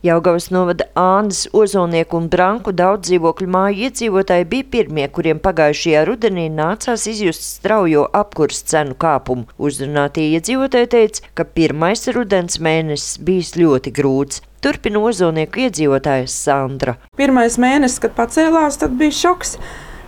Jelgavas novada Ānas, Ozolnieku un Branku daudz dzīvokļu māju iedzīvotāji bija pirmie, kuriem pagājušajā rudenī nācās izjust straujo apkures cenu kāpumu. Uzrunātie iedzīvotāji teica, ka pirmais rudens mēnesis bijis ļoti grūts. Turpina Ozolnieku iedzīvotāja Sandra. Pirmais mēnesis, kad pacēlās, tad bija šoks,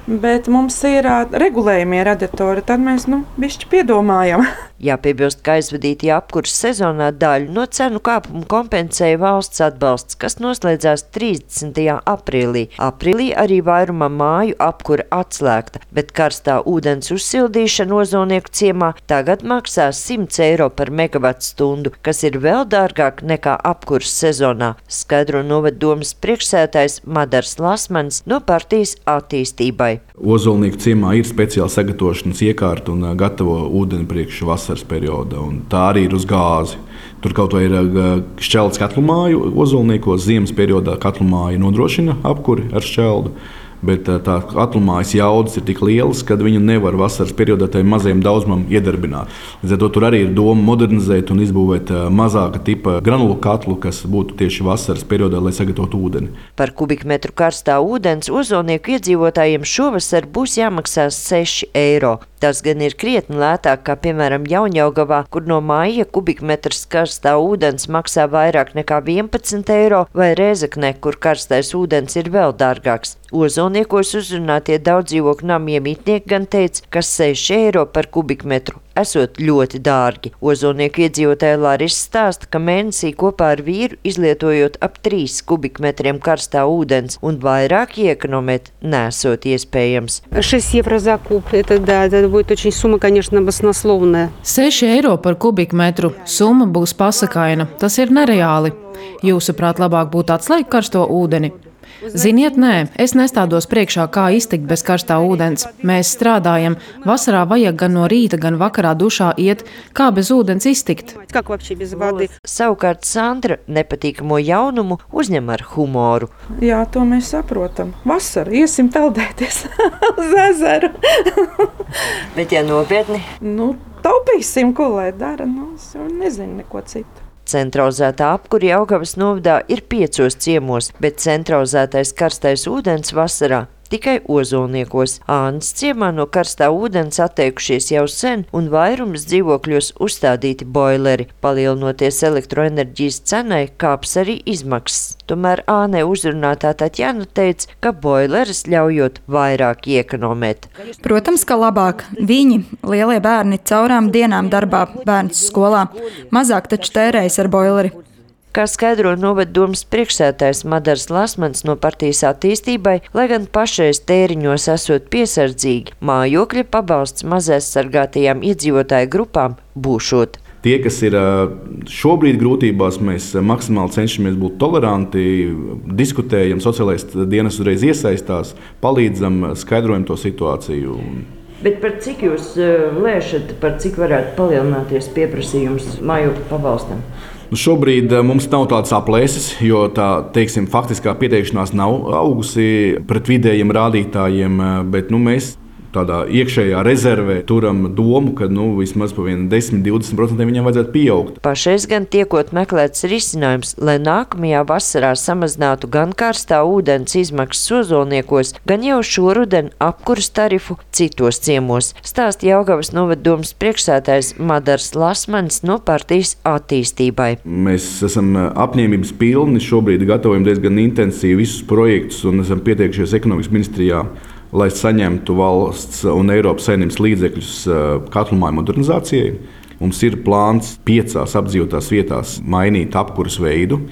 bet mums ir regulējumie radiatori, tad mēs bišķi piedomājam. Jāpiebilst, ka aizvadītajā apkures sezonā daļu no cenu kāpumu kompensēja valsts atbalsts, kas noslēdzās 30. aprīlī. Aprīlī arī vairuma māju apkure atslēgta, bet karstā ūdens uzsildīšana Ozolnieku ciemā tagad maksā 100 eiro par megavatstundu, kas ir vēl dārgāk nekā apkures sezonā, skaidro novaddomes priekšsēdētājs Madars Lasmans no partijas attīstībai. Ozolnieku ciemā ir speciāla sagatavošanas iekārta un gatavo ūdeni priekš vasaras perioda, un tā arī ir uz gāzi. Tur kaut vai ir šķeldes katlumāju Ozolniekos, ziemas periodā katlumāja nodrošina apkuri ar šķeldu, bet tā katlumājas jaudas ir tik lielas, ka viņu nevar vasaras periodā tai mazajam daudzumam iedarbināt. Līdz ar to tur arī ir doma modernizēt un izbūvēt mazāka tipa granulu katlu, kas būtu tieši vasaras periodā, lai sagatavotu ūdeni. Par kubikmetru karstā ūdens Ozolnieku iedzīvotājiem šovasar būs jāmaksā 6 eiro. Tas gan ir krietni lētāk, kā piemēram Jaunjelgavā, kur no māja kubikmetrs karstā ūdens maksā vairāk nekā 11 eiro, vai Rēzeknē, kur karstais ūdens ir vēl dārgāks. Ozolniekos uzrunātie daudz dzīvokļu namu iemītnieki gan teica, ka 6 eiro par kubikmetru esot ļoti dārgi. Ozolnieku iedzīvotāja Larisa stāsta, ka mēnesī kopā ar vīru izlietojot ap 3 kubikmetriem karstā ūdens un vairāk iekonomēt nesot iespējams. 6 eiro za kub, это будет очень сумма, конечно, баснословная. 6 eiro par kubikmetru. Summa būs pasakaina. Tas ir nereāli. Jūsuprāt, labāk būtu atslēgt karsto ūdeni? Ziniet, nē, es nestādos priekšā, kā iztikt bez karstā ūdens. Mēs strādājam. Vasarā vajag gan no rīta, gan vakarā dušā iet. Kā bez ūdens iztikt? Savukārt Sandra nepatīkamo jaunumu uzņem ar humoru. Jā, to mēs saprotam. Vasara, iesim peldēties uz ezeru. Bet ja nopietni? Taupīsim, ko lai dara, nezinu neko citu. Centralizētā apkure Jelgavas novadā ir 5 ciemos, bet centralizētais karstais ūdens vasarā tikai Ozolniekos. Ānas ciemā no karstā ūdens atteikušies jau sen un vairums dzīvokļos uzstādīti boileri. Palielinoties elektroenerģijas cenai, kāps arī izmaksas. Tomēr Ānē uzrunātā Taķjana teica, ka boileris ļaujot vairāk iekonomēt. Protams, ka labāk. Viņi, lielie bērni, caurām dienām darbā, bērns skolā, mazāk taču tērējas ar boileri. Kā skaidro novaddomes priekšsēdētājs Madars Lasmans no partijas attīstībai, lai gan pašreiz tēriņos esot piesardzīgi, mājokļa pabalsts mazaizsargātajām iedzīvotāju grupām būšot. Tie, kas ir šobrīd grūtībās, mēs maksimāli cenšamies būt toleranti, diskutējam, sociālais dienas uzreiz iesaistās, palīdzam, skaidrojam to situāciju. Bet par cik jūs lēšat, par cik varētu palielināties pieprasījums mājokļa pabalstam? Šobrīd mums nav tādas aplēses, jo tā, faktiskā pieteikšanās nav augusi pret vidējiem rādītājiem, bet mēs tādā iekšējā rezervē turam domu, ka vismaz pa 10–20% viņam vajadzētu pieaugt. Pašreiz gan tiekot meklēts risinājums, lai nākamajā vasarā samazinātu gan karstā ūdens izmaksas Ozolniekos, gan jau šoruden apkuras tarifu citos ciemos, stāsta Jelgavas novaddomes priekšsēdētājs Madars Lasmans no partijas attīstībai. Mēs esam apņēmības pilni, šobrīd gatavojam diezgan intensīvi visus projektus un esam pieteikušies ekonomikas ministrijā, lai saņemtu valsts un Eiropas Savienības līdzekļus katlumāju modernizācijai. Mums ir plāns 5 apdzīvotās vietās mainīt apkuras veidu,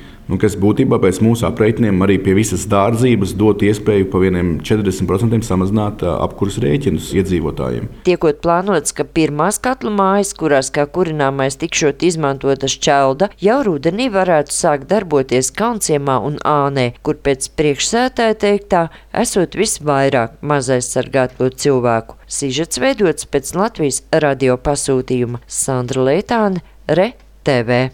kas būtībā pēc mūsu aprēķiniem arī pie visas dārdzības dot iespēju pa 40% samazināt apkuras rēķinus iedzīvotājiem. Tiekot plānots, ka pirmās katlu mājas, kurās kā kurināmais tikšot izmantota šķelda, jau rudenī varētu sākt darboties Kaunciemā un Ānē, kur pēc priekšsēdētāja teiktā esot visvairāk mazaizsargāto cilvēku. Sižets veidots pēc Latvijas radio pasūtījuma. Sandra Leitāne, RTV.